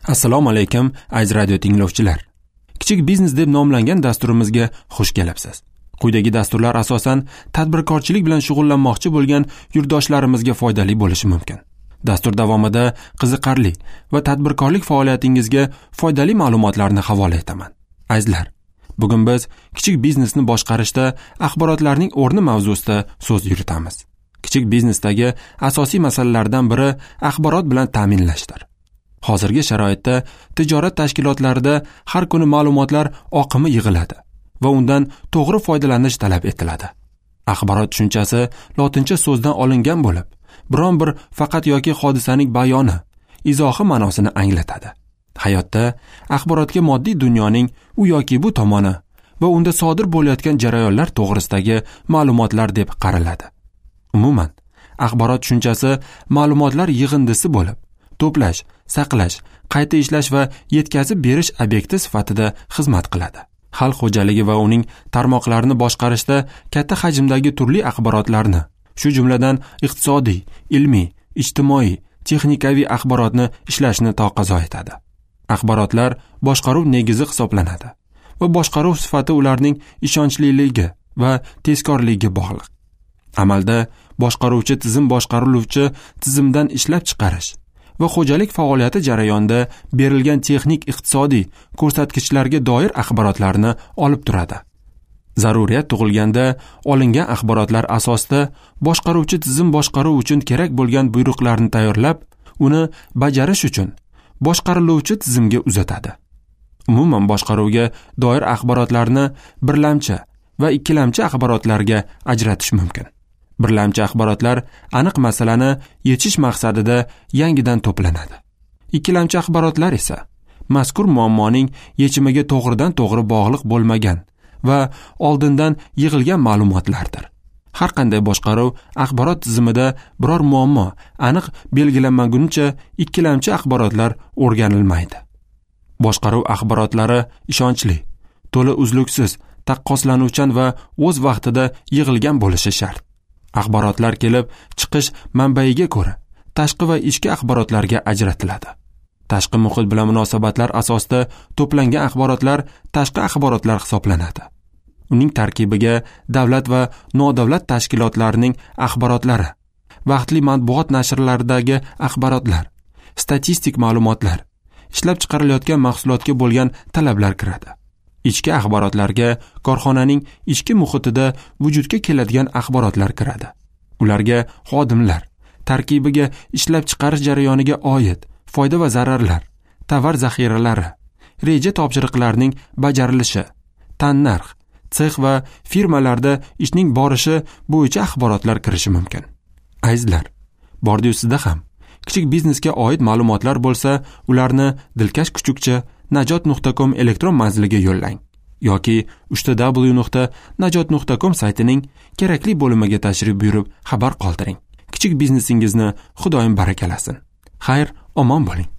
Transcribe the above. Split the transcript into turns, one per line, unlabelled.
Assalomu alaykum, aziz radio tinglovchilar. Kichik biznes deb nomlangan dasturimizga xush kelibsiz. Quyidagi dasturlar asosan tadbirkorchilik bilan shug'ullanmoqchi bo'lgan yurtdoshlarimizga foydali bo'lishi mumkin. Dastur davomida qiziqarli va tadbirkorlik faoliyatingizga foydali ma'lumotlarni havola etaman. Azizlar, bugun biz kichik biznesni boshqarishda axborotlarning o'rni mavzusida so'z yuritamiz. Kichik biznesdagi asosiy masalalardan biri axborot bilan ta'minlashdir. Hozirgi sharoitda tijorat tashkilotlarida har kuni ma'lumotlar oqimi yig'iladi va undan to'g'ri foydalanish talab etiladi. Axborot tushunchasi lotincha so'zdan olingan bo'lib, biron bir faqat yoki hodisaning bayoni, izohi ma'nosini anglatadi. Hayotda axborotga moddiy dunyoning u yoki bu tomoni va unda sodir bo'layotgan jarayonlar to'g'risidagi ma'lumotlar deb qaraladi. Umuman, axborot tushunchasi ma'lumotlar yig'indisi bo'lib, to'plash, saqlash, qayta ishlash va yetkazib berish obyekti sifatida xizmat qiladi. Xalq xo'jaligi va uning tarmoqlarini boshqarishda katta hajmdagi turli axborotlarni, shu jumladan iqtisodiy, ilmiy, ijtimoiy, texnikaviy axborotni ishlashni taqozo etadi. Axborotlar boshqaruv negizi hisoblanadi va boshqaruv sifati ularning ishonchliligi va tezkorligiga bog'liq. Amalda boshqaruvchi tizim boshqariluvchi tizimdan ishlab chiqarish va xo'jalik faoliyati jarayonida berilgan texnik iqtisodiy ko'rsatkichlarga doir axborotlarni olib turadi. Zaruriyat tug'ilganda olingan axborotlar asosida boshqaruvchi tizim boshqaruv uchun kerak bo'lgan buyruqlarni tayyorlab, uni bajarish uchun boshqariluvchi tizimga uzatadi. Umuman boshqaruvga doir axborotlarni birlamchi va ikkilamchi axborotlarga ajratish mumkin. Birlamchi axborotlar aniq masalani yechish maqsadida yangidan to'planadi. Ikkilamchi axborotlar esa mazkur muammoning yechimiga to'g'ridan-to'g'ri bog'liq bo'lmagan va oldindan yig'ilgan ma'lumotlardir. Har qanday boshqaruv axborot tizimida biror muammo aniq belgilanmaguncha ikkilamchi axborotlar o'rganilmaydi. Boshqaruv axborotlari ishonchli, to'la uzluksiz, taqqoslanuvchan va o'z vaqtida yig'ilgan bo'lishi shart. Axborotlar kelib chiqish manbaiga ko'ra tashqi va ichki axborotlarga ajratiladi. Tashqi muhit bilan munosabatlar asosida to'plangan axborotlar tashqi axborotlar hisoblanadi. Uning tarkibiga davlat va nodavlat tashkilotlarining axborotlari, vaqtli matbuot nashrlaridagi axborotlar, statistik ma'lumotlar, ishlab chiqarilayotgan mahsulotga bo'lgan talablar kiradi. Ichki axborotlarga korxonaning ichki muhitida vujudga keladigan axborotlar kiradi. Ularga xodimlar tarkibiga ishlab chiqarish jarayoniga oid foyda va zararlar, tovar zaxiralari, reja topshiriqlarining bajarilishi, tannarx, sex va firmalarda ishning borishi bo'yicha axborotlar kirishi mumkin. Azizlar, bordiyu sizda ham kichik biznesga oid ma'lumotlar bo'lsa, ularni dilkash kuchukcha najot.com elektron manziliga yo'llang yoki www.najot.com saytining kerakli bo'limiga tashrif buyurib xabar qoldiring. Kichik biznesingizni Xudoyim barakalasin. Xayr, omon bo'ling.